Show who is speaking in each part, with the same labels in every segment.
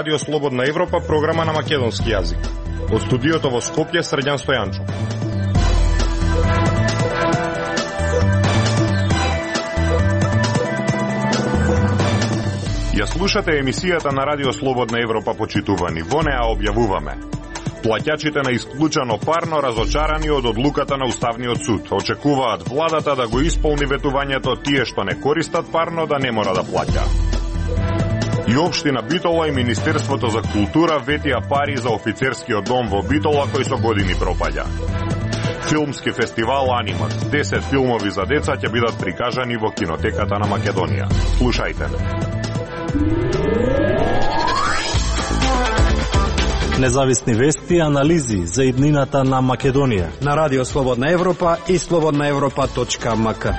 Speaker 1: Радио Слободна Европа, програма на македонски јазик. Од студиото во Скопје, Срđan Стојанчов. Ја слушате емисијата на Радио Слободна Европа, почитувани. Во неа објавуваме: плаќачите на исклучено парно разочарани од одлуката на Уставниот суд. Очекуваат владата да го исполни ветувањето тие што не користат парно да не мора да плаќа. И општина Битола и Министерството за култура ветија пари за офицерскиот дом во Битола кој со години пропаѓа. Филмски фестивал Анимат. 10 филмови за деца ќе бидат прикажани во кинотеката на Македонија. Слушајте ме.
Speaker 2: Независни вести и анализи за иднината на Македонија
Speaker 3: на Радио Слободна Европа и slobodnaevropa.mk.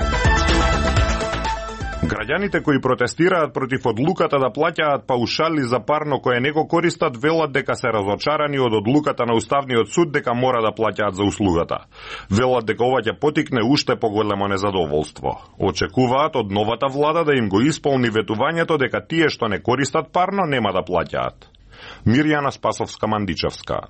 Speaker 1: Граѓаните кои протестираат против одлуката да плаќаат паушали за парно кое не го користат велат дека се разочарани од одлуката на Уставниот суд дека мора да плаќаат за услугата. Велат дека ова ќе потикне уште поголемо незадоволство. Очекуваат од новата влада да им го исполни ветувањето дека тие што не користат парно нема да плаќаат. Мирјана Спасовска-Мандичевска.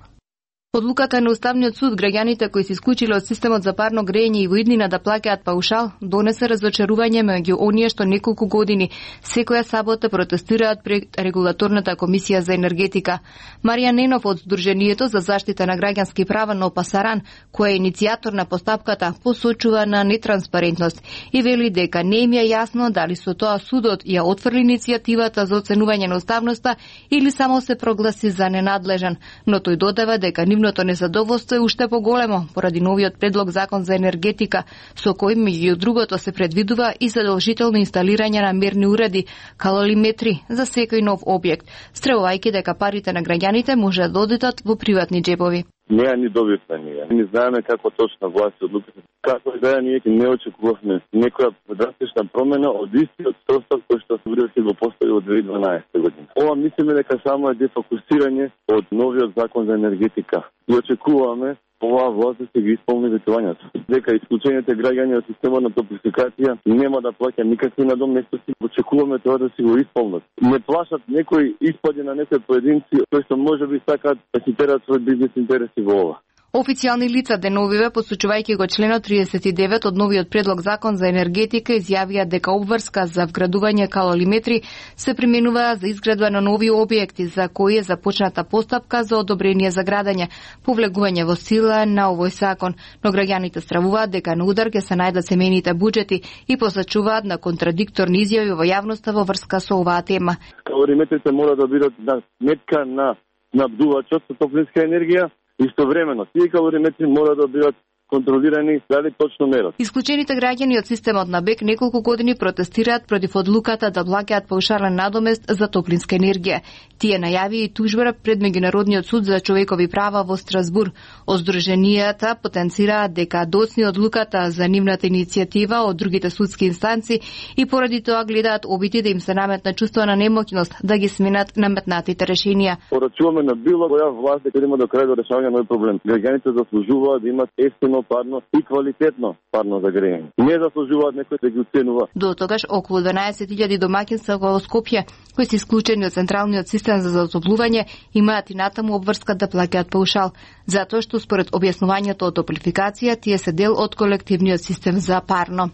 Speaker 4: Одлуката на Уставниот суд граѓаните кои се исклучиле од системот за парно грејење и во иднина да плаќаат паушал донесе разочарување меѓу оние што неколку години секоја сабота протестираат пред регулаторната комисија за енергетика. Марија Ненов од Сдруженијето за заштита на граѓански права на Опасаран, која е иницијатор на постапката, посочува на нетранспарентност и вели дека не им е јасно дали со тоа судот ја отфрли иницијативата за оценување на уставноста или само се прогласи за ненадлежен, но тој додава дека нивното незадоволство е уште поголемо поради новиот предлог закон за енергетика, со кој меѓу другото се предвидува и задолжително инсталирање на мерни уреди, калориметри за секој нов објект, стревувајќи дека парите на граѓаните може да одидат во приватни џебови.
Speaker 5: Не е ни добитна ние. Не знаеме како точно власт одлуката. Како и да ние не очекувавме некоја драстична промена од истиот состав кој што се го постави од 2012 година. Ова мислиме дека само е дефокусирање од новиот закон за енергетика. И очекуваме оваа власт да се ги исполни ветувањето. Дека исклучените граѓани од системот на топлификација нема да плаќа никакви надоместности. Очекуваме тоа да си го исполнат. Не плашат некои испади на некои поединци кои што можеби сакаат да си терат свој бизнес интереси во ова.
Speaker 4: Официјални лица деновиве, посочувајќи го членот 39 од новиот предлог закон за енергетика, изјавија дека обврска за вградување калориметри се применува за изградба на нови објекти за кои е започната постапка за одобрение за градење, повлегување во сила на овој закон, но граѓаните стравуваат дека на удар ќе се најдат семејните буџети и посочуваат на контрадикторни изјави во јавноста во врска со оваа тема.
Speaker 5: Калориметрите мора да бидат на сметка на набдувачот со топлинска енергија. Истовремено, тие калориметри мора да бидат контролирани дали точно мерат.
Speaker 4: Исклучените граѓани од системот на БЕК неколку години протестираат против одлуката да плаќаат паушален надомест за топлинска енергија. Тие најави и тужба пред Меѓународниот суд за човекови права во Страсбур. Од Сдруженијата потенцираат дека доцни одлуката за нивната иницијатива од другите судски инстанци и поради тоа гледаат обити да им се наметне чувство на немоќност да ги сменат наметнатите решенија.
Speaker 5: Порачуваме на било која власт дека има до крај до решавање на овој проблем. Граѓаните заслужуваат да имат ефтино парно и квалитетно парно за грејење. Не заслужуваат некој да ги оценува.
Speaker 4: До тогаш околу 12.000 домаќинства во Скопје, кои се исклучени од централниот систем за затоплување, имаат и натаму обврска да плаќаат паушал, затоа што според објаснувањето од топлификација тие се дел од колективниот систем за парно.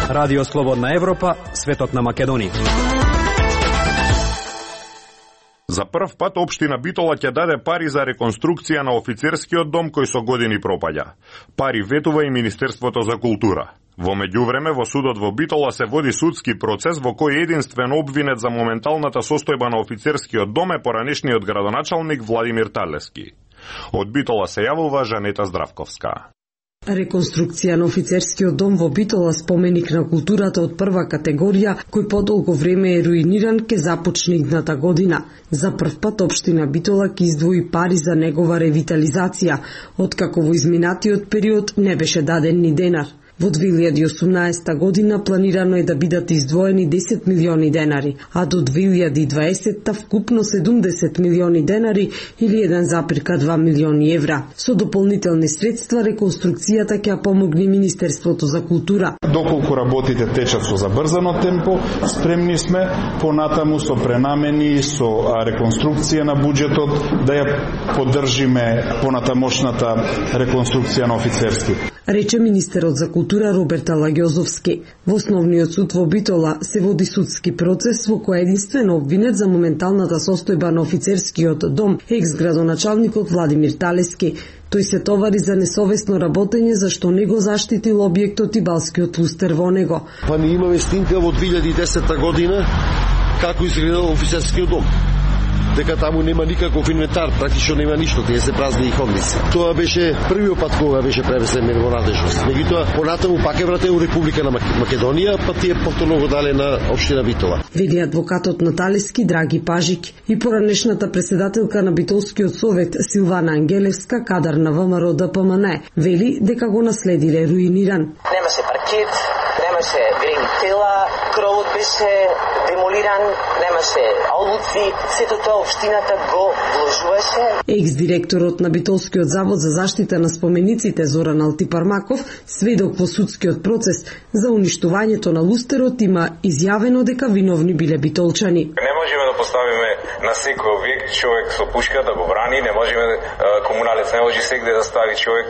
Speaker 3: Радио Слободна Европа, светот на Македонија.
Speaker 1: За прв пат општина Битола ќе даде пари за реконструкција на офицерскиот дом кој со години пропаѓа. Пари ветува и Министерството за култура. Во меѓувреме во судот во Битола се води судски процес во кој единствен обвинет за моменталната состојба на офицерскиот дом е поранешниот градоначалник Владимир Талески. Од Битола се јавува Жанета Здравковска.
Speaker 6: Реконструкција на офицерскиот дом во Битола, споменик на културата од прва категорија, кој подолго време е руиниран, ке започне идната година. За прв пат општина Битола ке издвои пари за негова ревитализација, откако во изминатиот период не беше даден ни денар. Во 2018 година планирано е да бидат издвоени 10 милиони денари, а до 2020 вкупно 70 милиони денари или 1,2 милиони евра. Со дополнителни средства реконструкцијата ќе помогне Министерството за култура.
Speaker 7: Доколку работите течат со забрзано темпо, спремни сме понатаму со пренамени, со реконструкција на буџетот да ја поддржиме понатамошната реконструкција на офицерски.
Speaker 6: Рече министерот за култура Роберт Алагјозовски. Во основниот суд во Битола се води судски процес во кој единствено обвинет за моменталната состојба на офицерскиот дом екс-градоначалникот Владимир Талески. Тој се товари за несовесно работење зашто не го заштитил објектот и балскиот лустер во него.
Speaker 8: Па ние имаме снимка во 2010 година како изгледал офицерскиот дом. Дека таму нема никаков инвентар, практично нема ништо, тие се празни и ходници. Тоа беше првиот пат кога беше пренесен во надежност. Меѓутоа, понатаму пак е вратен у Република на Македонија, па тие повторно го дале на општина Битола.
Speaker 6: Вели адвокатот на Талески Драги Пажик и поранешната председателка на Битолскиот совет Силвана Ангелевска, кадар на ВМРО ДПМН, вели дека го наследиле руиниран.
Speaker 9: Немаше паркет, немаше грени тела, кровот беше демолиран, немаше олуци, сето тоа општината го вложуваше.
Speaker 6: Екс-директорот на Битолскиот завод за заштита на спомениците Зоран Алтипармаков, сведок во судскиот процес за уништувањето на лустерот, има изјавено дека виновни биле битолчани.
Speaker 10: Не можеме да поставиме на секој објект човек со пушка да го брани, не можеме комуналец не може сегде да стави човек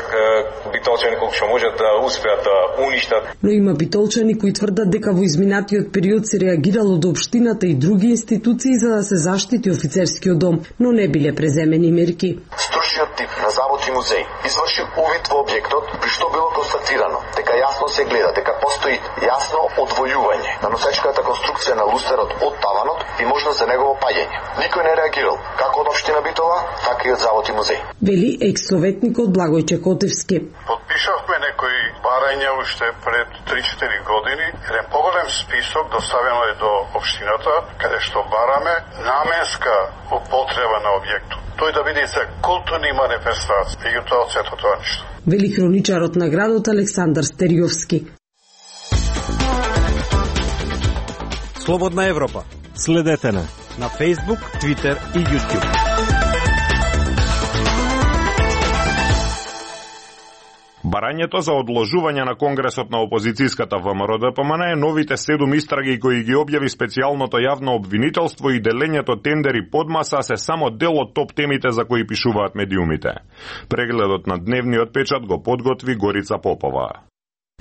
Speaker 10: битолчани колку што можат да успеат да уништат.
Speaker 6: Но има битолчани кои тврдат дека во изминатиот период се реагирало до општината и други институции за да се заштити офицерскиот дом, но не биле преземени мерки.
Speaker 11: Стружниот тип на завод и музеј изврши увид во објектот, при што било констатирано дека јасно се гледа дека постои јасно одвојување на носечката конструкција на лустерот од таванот и можност за негово паѓање. Никој не реагирал, како од општина Битола, така и од завод и музеј.
Speaker 6: Вели екс-советникот Благојче Котевски.
Speaker 12: Подпишавме некои барања уште пред 3-4 години. Еден поголем список доставено е до општината, каде што бараме наменска употреба на објектот. Тој да биде за културни манифестации, меѓутоа од сето тоа ништо.
Speaker 6: Вели хроничарот на градот Александар Стериовски.
Speaker 3: Слободна Европа.
Speaker 2: Следете на
Speaker 3: Facebook, Twitter и YouTube.
Speaker 1: Барањето за одложување на Конгресот на опозицијската ВМРО ДПМН е новите 7 истраги кои ги објави специјалното јавно обвинителство и делењето тендери под маса се само дел од топ темите за кои пишуваат медиумите. Прегледот на дневниот печат го подготви Горица Попова.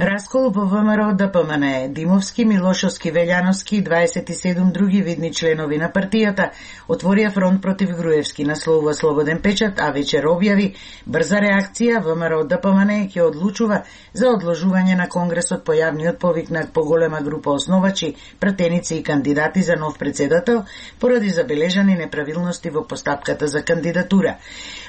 Speaker 13: Раскол во ВМРО ДПМН, Димовски, Милошовски, Велјановски и 27 други видни членови на партијата отворија фронт против Груевски, насловува Слободен печат, а вечер објави брза реакција ВМРО ДПМН ќе одлучува за одложување на Конгресот по јавниот повик на поголема група основачи, пратеници и кандидати за нов председател поради забележани неправилности во постапката за кандидатура.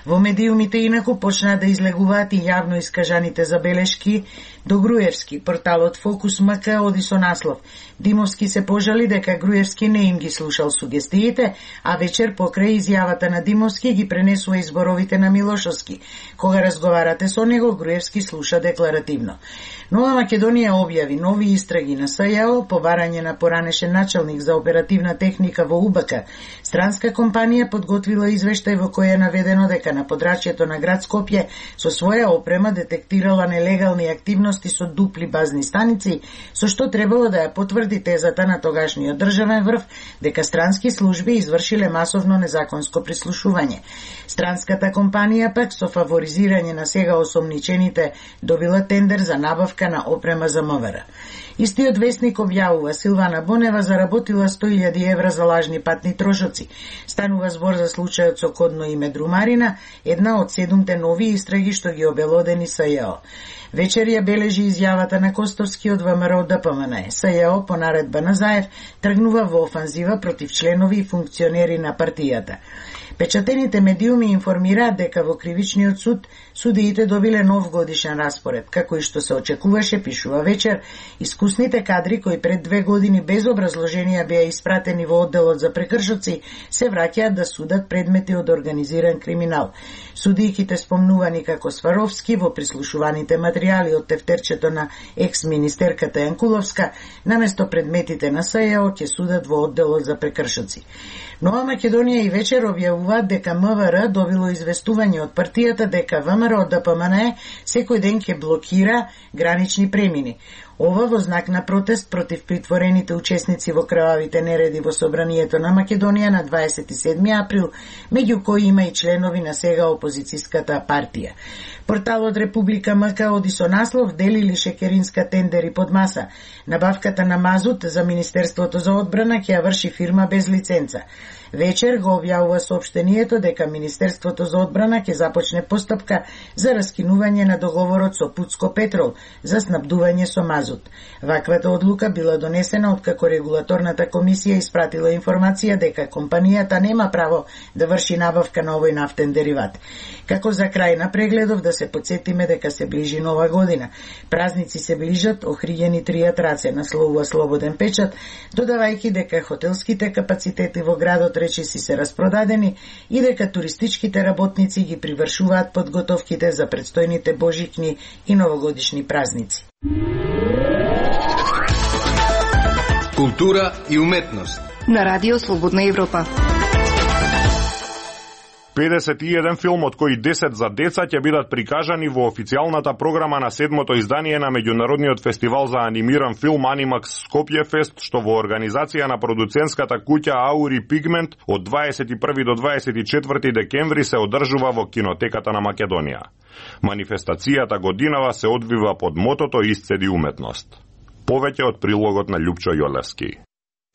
Speaker 13: Во медиумите инаку почнаа да излегуваат и јавно искажаните забелешки до Груевски. Порталот Фокус МК оди со наслов: Димовски се пожали дека Груевски не им ги слушал сугестиите, а вечер покрај изјавата на Димовски ги пренесува изборовите на Милошовски. Кога разговарате со него, Груевски слуша декларативно. Нова Македонија објави нови истраги на СЈО по барање на поранешен началник за оперативна техника во УБК. Странска компанија подготвила извештај во кој е наведено дека на подрачјето на град Скопје со своја опрема детектирала нелегални активности со дупли базни станици, со што требало да ја потврди тезата на тогашниот државен врв дека странски служби извршиле масовно незаконско прислушување. Странската компанија пак со фаворизирање на сега осомничените добила тендер за набавка на опрема за МВР. Истиот вестник објавува Силвана Бонева заработила 100.000 евра за лажни патни трошоци. Станува збор за случајот со кодно име Друмарина, една од 7 нови истраги што ги обелодени СЈО. Вечер ја бележи изјавата на Костовски од ВМРО ДПМН. СЈО по наредба на Заев тргнува во офанзива против членови и функционери на партијата. Печатените медиуми информираат дека во кривичниот суд судиите добиле нов годишен распоред, како и што се очекуваше, пишува Вечер. Искусните кадри кои пред 2 години без образложенија беа испратени во одделот за прекршоци се враќаат да судат предмети од организиран криминал. Судијките спомнувани како Сваровски во прислушуваните материјали од тефтерчето на екс-министерката Јанкуловска, наместо предметите на СЈО ќе судат во одделот за прекршоци. Нова Македонија и Вечер објавуваат дека МВР добило известување од партијата дека ВМРО ДПМН секој ден ќе блокира гранични премини. Ова во знак на протест против притворените учесници во крвавите нереди во Собранието на Македонија на 27 април, меѓу кои има и членови на сега опозицијската партија. Порталот Република МК оди со наслов "Делили шекеринска тендери под маса". Набавката на мазут за Министерството за одбрана ќе ја врши фирма без лиценца. Вечер го објавува соопштението дека Министерството за одбрана ќе започне постапка за раскинување на договорот со Путско Петрол за снабдување со мазут. Ваквата одлука била донесена откако регулаторната комисија испратила информација дека компанијата нема право да врши набавка на овој нафтен дериват. Како за крај на прегледов да се подсетиме дека се ближи нова година. Празници се ближат, охријени тријат раце, насловува Слободен печат, додавајќи дека хотелските капацитети во градот речиси се распродадени и дека туристичките работници ги привршуваат подготовките за предстојните божикни и новогодишни празници.
Speaker 14: Култура и уметност
Speaker 4: на Радио Слободна Европа.
Speaker 1: 51 филм, од кои 10 за деца, ќе бидат прикажани во официјалната програма на 7-то издание на меѓународниот фестивал за анимиран филм Animax Skopje Fest, што во организација на продуцентската куќа Auri Pigment од 21 до 24 декември се одржува во Кинотеката на Македонија. Манифестацијата годинава се одвива под мотото "Исцеди уметност". Повеќе од прилогот на Љупчо Јолевски.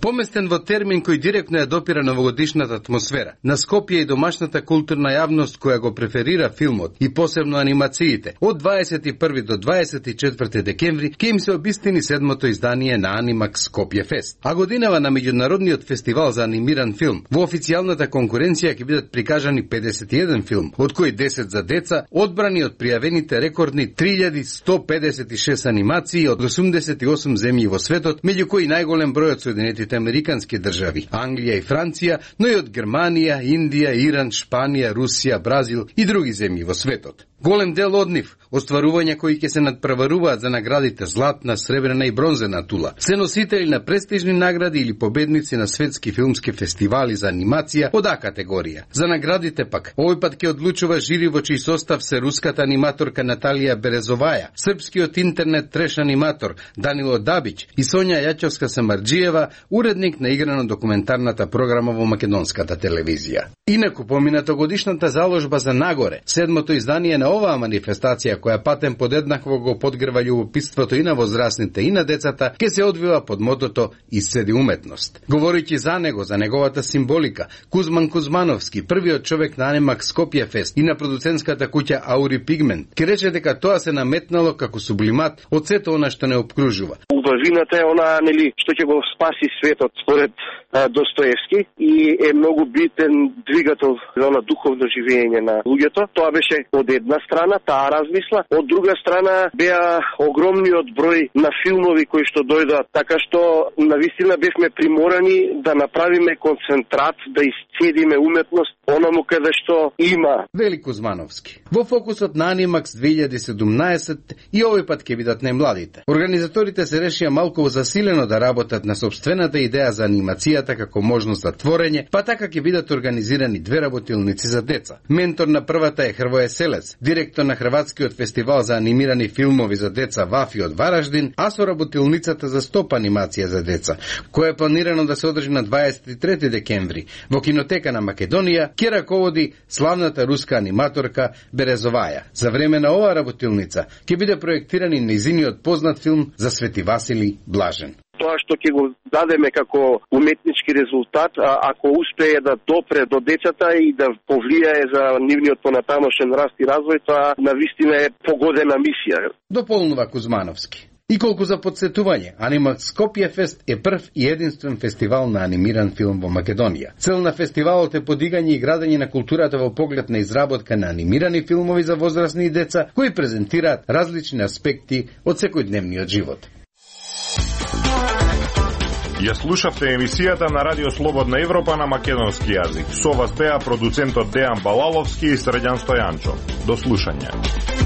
Speaker 14: Поместен во термин кој директно ја допира новогодишната атмосфера, на Скопје и домашната културна јавност која го преферира филмот и посебно анимациите, од 21 до 24 декември ќе им се обистини 7-то издание на Animax Skopje Fest. А годинава на меѓународниот фестивал за анимиран филм, во официјалната конкуренција ќе бидат прикажани 51 филм, од кои 10 за деца, одбрани од пријавените рекордни 3156 анимации од 88 земји во светот, меѓу кои најголем број од Соединетите американски држави, Англија и Франција, но и од Германија, Индија, Иран, Шпанија, Русија, Бразил и други земји во светот. Голем дел од нив, остварувања кои ќе се надпреваруваат за наградите златна, сребрена и бронзена тула, се носители на престижни награди или победници на светски филмски фестивали за анимација од А категорија. За наградите пак, овој пат ќе одлучува жири во чиј состав се руската аниматорка Наталија Березоваја, српскиот интернет треш аниматор Данило Дабич и Сонја Јачовска-Самарџиева, уредник на играно документарната програма во македонската телевизија. Инаку поминато годишната заложба за Нагоре, 7-то издание на оваа манифестација која патен подеднакво го подгрва љубопитството и на возрастните и на децата, ќе се одвива под мотото "Исцеди уметност". Говорејќи за него, за неговата символика, Кузман Кузмановски, првиот човек на Animax Skopje Fest и на продуцентската куќа Auri Pigment, ќе рече дека тоа се наметнало како сублимат од сето она што не обкружува.
Speaker 15: Убавината е она, нели, што ќе го спаси светот според Достоевски и е многу битен двигател на духовно живење на луѓето. Тоа беше од една страна, таа размисла, од друга страна беа огромниот број на филмови кои што дојдат, така што навистина бевме приморани да направиме концентрат, да исцедиме уметност онаму каде што има.
Speaker 14: Вели Кузмановски. Во фокусот на Animax 2017 и овој пат ќе бидат најмладите. Организаторите се решија малку засилено да работат на собствената идеја за анимацијата како можност за творење, па така ќе бидат организирани 2 работилници за деца. Ментор на првата е Хрвоје Селец, директор на Хрватскиот фестивал за анимирани филмови за деца Вафи од Вараждин, а со работилницата за стоп анимација за деца, која е планирано да се одржи на 23 декември во Кинотека на Македонија, ќе раководи славната руска аниматорка Березоваја. За време на оваа работилница ќе биде проектиран и нејзиниот познат филм за Свети Васили Блажен.
Speaker 15: Тоа што ќе го дадеме како уметнички резултат, ако успее да допре до децата и да повлијае за нивниот понатамошен раст и развој, тоа навистина е погодена мисија.
Speaker 14: Дополнува Кузмановски. И колку за подсетување, Анима Скопје Фест е прв и единствен фестивал на анимиран филм во Македонија. Цел на фестивалот е подигање и градење на културата во поглед на изработка на анимирани филмови за возрастни и деца, кои презентираат различни аспекти од секојдневниот живот.
Speaker 1: Ја слушавте емисијата на Радио Слободна Европа на македонски јазик. Со вас беа продуцентот Дејан Балаловски и Срđan Стојанчо. До слушање.